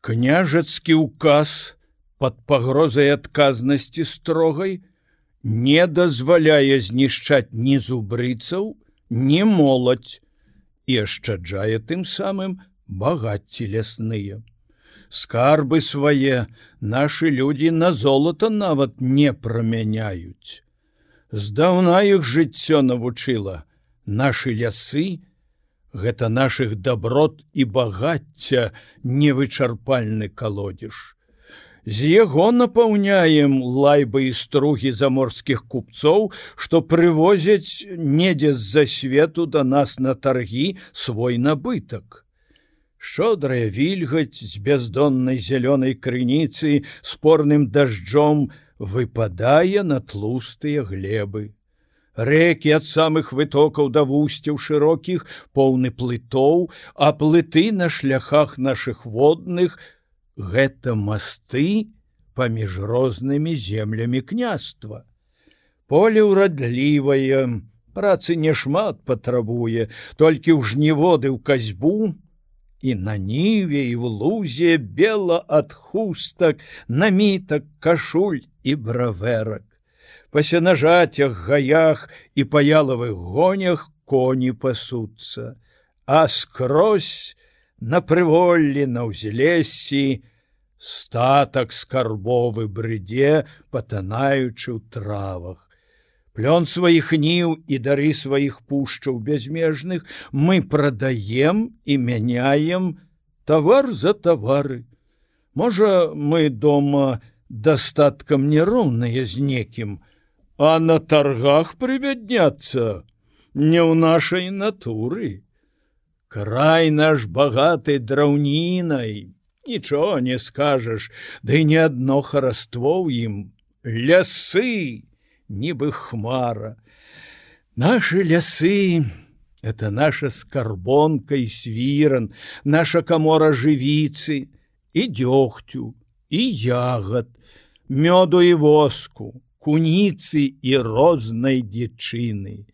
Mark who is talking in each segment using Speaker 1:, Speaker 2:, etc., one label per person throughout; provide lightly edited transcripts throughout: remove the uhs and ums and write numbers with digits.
Speaker 1: Княжацкі указ пад пагрозай адказнасці строгай не дазваляе знішчаць ні зубрыцаў, ні моладзь і ашчаджае тым самым багацці лясныя. Скарбы свае нашы людзі на золата нават не прамяняюць. Здаўна іх жыццё навучыла. Нашы лясы — гэта нашых даброт і багацця невычарпальны калодзеж. З яго напаўняем лайбы і стругі заморскіх купцоў, што прывозяць недзе з-за свету да нас на таргі свой набытак. Шчодрая вільгаць з бяздоннай зялёнай крыніцы спорным дажджом выпадае на тлустыя глебы. Рэкі ад самых вытокаў да вусцяў шырокіх поўны плытоў, а плыты на шляхах нашых водных — гэта масты паміж рознымі землямі княства. Поле ўрадлівае, працы няшмат патрабуе, толькі ў жніводы ў касьбу, і на ніве і в лузе бела ад хустак, намітак, кашуль і бравэрак. Па сенажацях, гаях і па ялавых гонях коні пасуцца, а скрозь на прыволлі, на ўзлессі статак скарбовы брыдзе, патанаючы ў травах. Плён сваіх ніў і дары сваіх пушчаў бязмежных мы прадаем і мяняем тавар за тавары. Можа, мы дома дастаткам нероўныя з некім, а на таргах прыбядняцца не ў нашай натуры. Край наш багаты драўнінай, нічого не скажаш, ды не адно хараство ў ім, лясы, нібы хмара. Нашы лясы — это наша скарбонка і свіран, наша камора жывіцы і дзёгцю, і ягад, мёду і воску, куніцы і рознай дзічыны.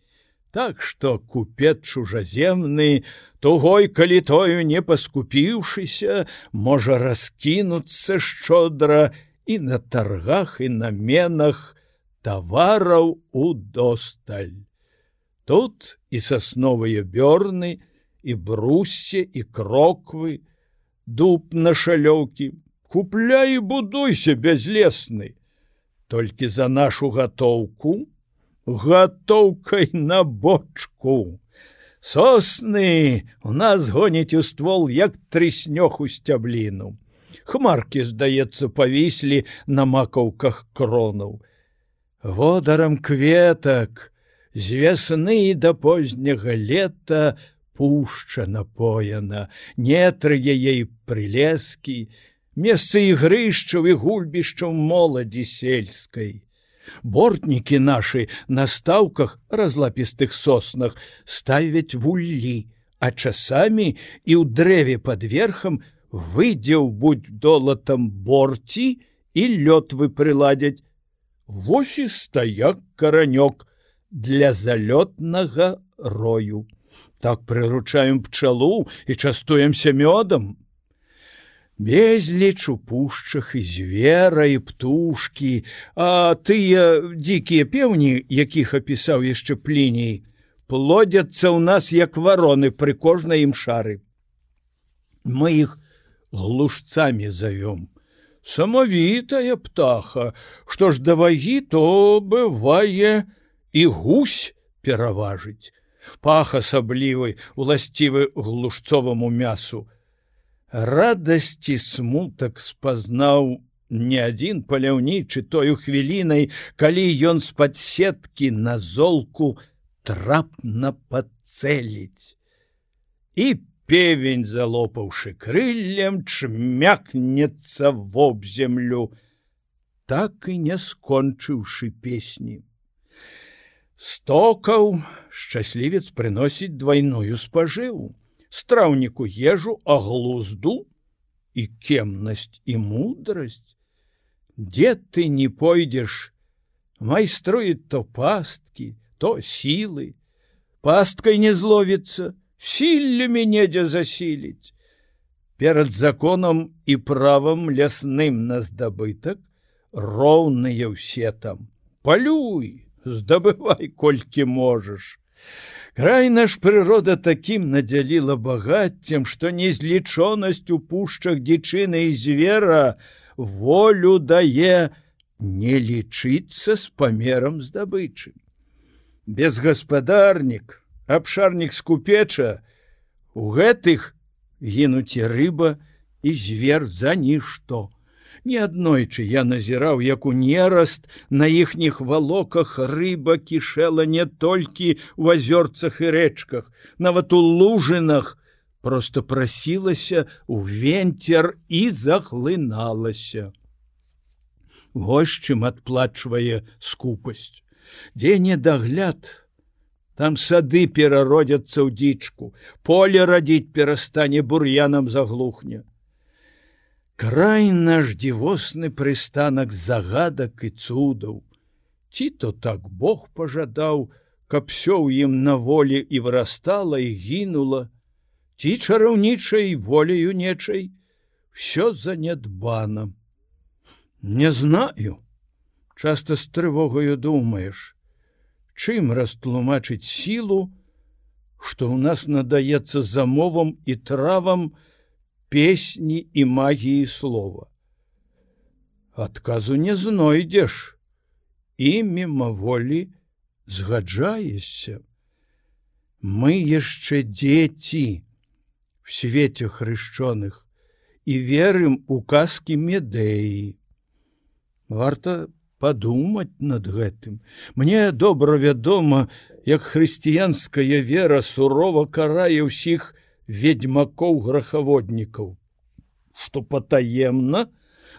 Speaker 1: Так што купец чужаземны, тугой калітою не паскупіўшыся, можа раскінуцца шчодра і на таргах і на менах тавараў удосталь. Тут і сасновыя бёрны, і бруссе, і кроквы, дуб на шалёўкі. Купляй і будуйся, бязлесны. Толькі за нашу гатоўку, гатоўкай на бочку. Сосны у нас гоняць у ствол, як трыснёг у сцябліну. Хмаркі, здаецца, павіслі на макаўках кронаў. Водарам кветак з вясны да позняга лета пушча напоена, нетры яе прылескі, месцы ігрышчаў і гульбішчаў моладзі сельскай. Бортнікі нашы на стаўках разлапістых соснах ставяць вуллі, а часамі і ў дрэве пад верхам выдзеў будь долатам борці і лётвы прыладзяць. Вось і стаяк каранёк для залётнага рою. Так прыручаем пчалу і частуемся мёдам. Безліч у пушчах і звера, і птушкі, а тыя дзікія пеўні, якіх апісаў яшчэ Пліній, плодзяцца ў нас, як вароны пры кожнай ім шары. Мы іх глушцамі завём. Самавітая птаха, што ж да вагі, то бывае і гусь пераважыць. Пах асаблівы, уласцівы глушцоваму мясу. Радасць і смутак спазнаў не адзін паляўнічы тою хвілінай, калі ён з-пад сеткі на золку трапна пацэліць. І певень, залопаўшы крыллем, чмякнецца вобземлю, так і не скончыўшы песні. Стокаў шчаслівец прыносіць двайную спажыву. Страўніку ежу, а глузду і кемнасць і мудрасць. Дзе ты не пойдзеш, майструет то пасткі, то сілы. Пасткай не зловіцца, сіллямі недзе засіліць. перад законам і правам лясным на здабытак роўныя ўсе там. Палюй, здабывай, колькі можаш. Край наш прырода такім надзяліла багаццем, што незлічонасць у пушчах дзічыны і звера волю дае не лічыцца з памерам здабычы. Безгаспадарнік, абшарнік скупеча, у гэтых гінуць і рыба, і звер за нішто. Неаднойчы я назіраў, як у нераст на іхніх валоках рыба кішэла не толькі ў азёрцах і рэчках, нават у лужынах проста прасілася ў венцер і захлыналася. Вось чым адплачвае скупасць. Дзе недагляд, там сады перародзяцца ў дзічку, поле радзіць перастане, бур'янам заглухне. Край наш дзівосны прыстанак загадак і цудаў. Ці то так Бог пажадаў, каб всё ў ім на волі і вырастала і гінула, ці чараўнічай воляю нечай всё занядбана. Не знаю. Часта з трывогаю думаеш, чым растлумачыць сілу, што ў нас надаецца замовам і травам песні і магіі слова. Адказу не знойдзеш і мімаволі згаджаешся. Мы яшчэ дзеці в свеце хрышчоных і верым у казкі Медеі. Варта падумаць над гэтым. Мне добра вядома, як хрысціянская вера сурова карае ўсіх ведьмакоў-грахаводнікаў, што патаемна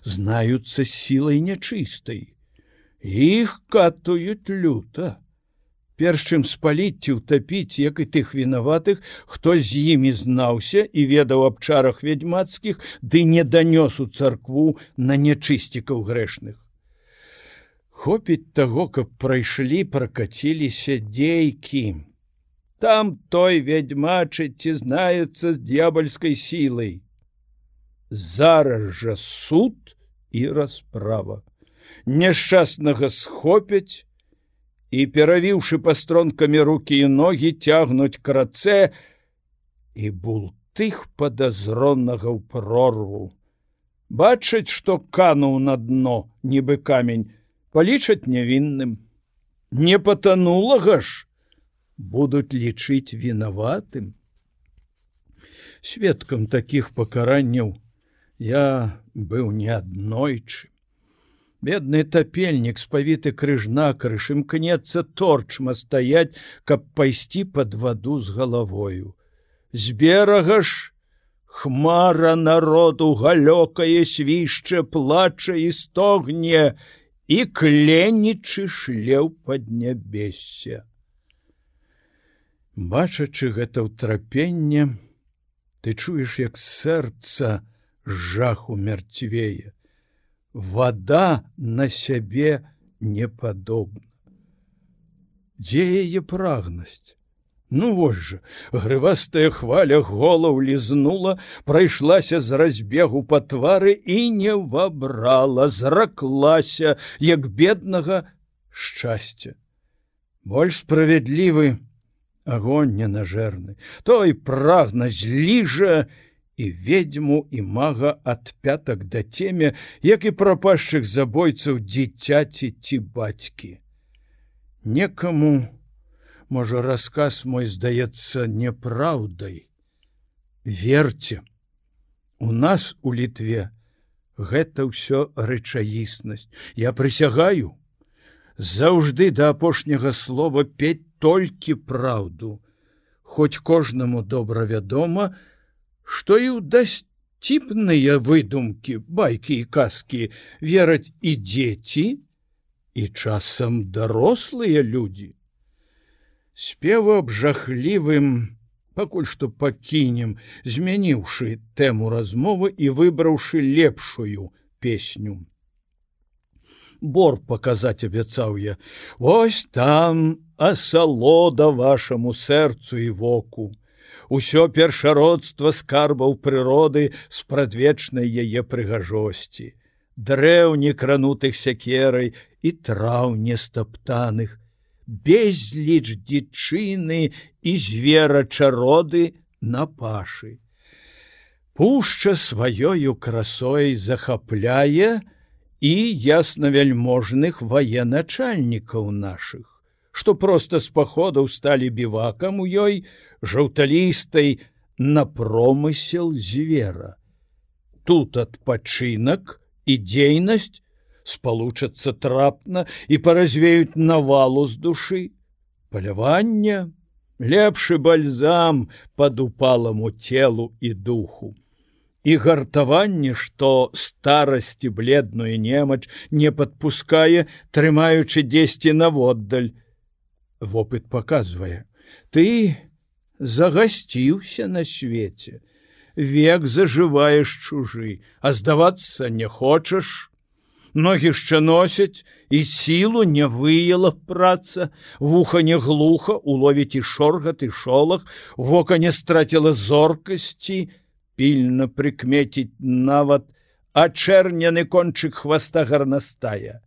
Speaker 1: знаюцца сілай нячыстай. Іх катуюць люта. Перш чым спаліць ці ўтапіць, як і тых вінаватых, хто з імі знаўся і ведаў аб чарах ведьмацкіх, ды не данёс у царкву на нячысцікаў грэшных. Хопіць таго, каб прайшлі, пракаціліся дзейкі. Там той ведьмачыць ці знаецца з д'ябальскай сілай. Зараз жа суд і расправа. Няшчаснага схопяць і, перавіўшы пастронкамі рукі і ногі, цягнуць к рацэ і бултых падазронага ў прорву. Бачаць, што кануў на дно, нібы камень, палічаць нявінным. Не патанулага ж будуць лічыць вінаватым. Сведкам такіх пакаранняў я быў неаднойчы. Бедны тапельнік, спавіты крыж-накрыж, імкнецца торчма стаяць, каб пайсці пад ваду з галавою. З берага ж хмара народу галёкае, свішча, плача і стогне, і кленічы шле ў паднябессе. Бачачы гэта ўтрапенне, ты чуеш, як сэрца жаху мярцвее. Вада на сябе не падобна. Дзе яе прагнасць? Ну вось жа, грывастая хваля голаў лізнула, прайшлася з разбегу па твары і не вабрала, зраклася, як беднага шчасця. Больш справядлівы агонь ненажэрны. Той прагна зліжа і ведьму, і мага ад пятак да цемя, як і прапашчых забойцаў дзіцяці ці бацькі. Некаму, можа, расказ мой здаецца няпраўдай. Верце, у нас у Літве гэта ўсё рэчаіснасць. Я прысягаю заўжды да апошняга слова пець толькі праўду, хоць кожнаму добра вядома, што і ў дасціпныя выдумкі, байкі і казкі вераць і дзеці, і часам дарослыя людзі. Спеву аб жахлівым пакуль што пакінем, змяніўшы тэму размовы і выбраўшы лепшую песню. Бор паказаць абяцаў я. Вось там асалода вашаму сэрцу і воку. усё першародства скарбаў прыроды з прадвечнай яе прыгажосці, дрэў некранутых сякерай і траў нестаптаных, безліч дзічыны і зверачароды на пашы. Пушча сваёю красой захапляе і яснавяльможных военачальнікаў нашых, што проста з паходаў сталі бівакам у ёй жаўталістай на промысел звера. Тут адпачынак і дзейнасць спалучацца трапна і паразвеюць навалу з душы. Паляванне — лепшы бальзам пад упаламу целу і духу. І гартаванне, што старасці бледную немач не падпускае, трымаючы дзесьці наводдаль. Вопыт паказвае: ты загасціўся на свеце, век зажываеш чужы, а здавацца не хочаш. Ногі яшчэ носяць, і сілу не выяла праца, вуха не глуха, уловіць і шоргат, і шолах, вока не страціла зоркасці, пільна прыкмеціць нават ачэрняны кончык хваста гарнастая.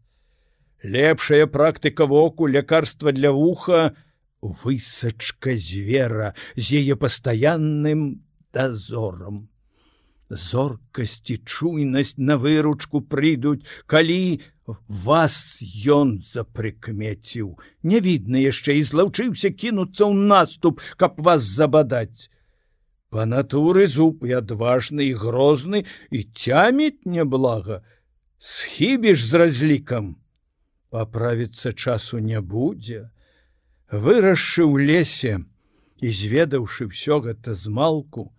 Speaker 1: Лепшая практыка воку, лякарства для вуха — высачка звера з яе пастаянным дазорам. Зоркасць і чуйнасць на выручку прыйдуць, калі вас ён запрыкмеціў. Не відна яшчэ і злаўчыўся кінуцца ў наступ, каб вас забадаць. Па натуры зуб і адважны, і грозны, і цяміць няблага. Схібіш з разлікам, паправіцца часу не будзе. Вырасшы ў лесе і зведаўшы ўсё гэта змалку,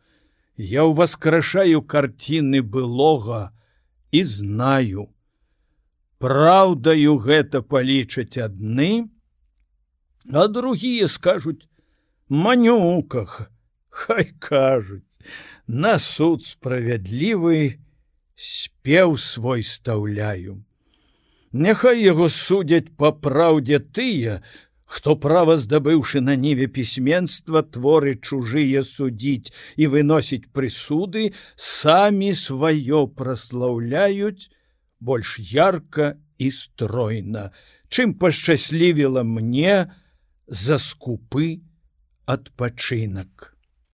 Speaker 1: я ўваскрашаю карціны былога і знаю. Праўдаю гэта палічаць адны, а другія скажуць: манюках, хай кажуць, на суд справядлівы спеў свой стаўляю. Няхай яго судзяць па праўдзе тыя, хто, права здабыўшы на ніве пісьменства, творы чужыя судзіць і выносіць прысуды, самі сваё праслаўляюць больш ярка і стройна, чым пашчаслівіла мне за скупы адпачынак.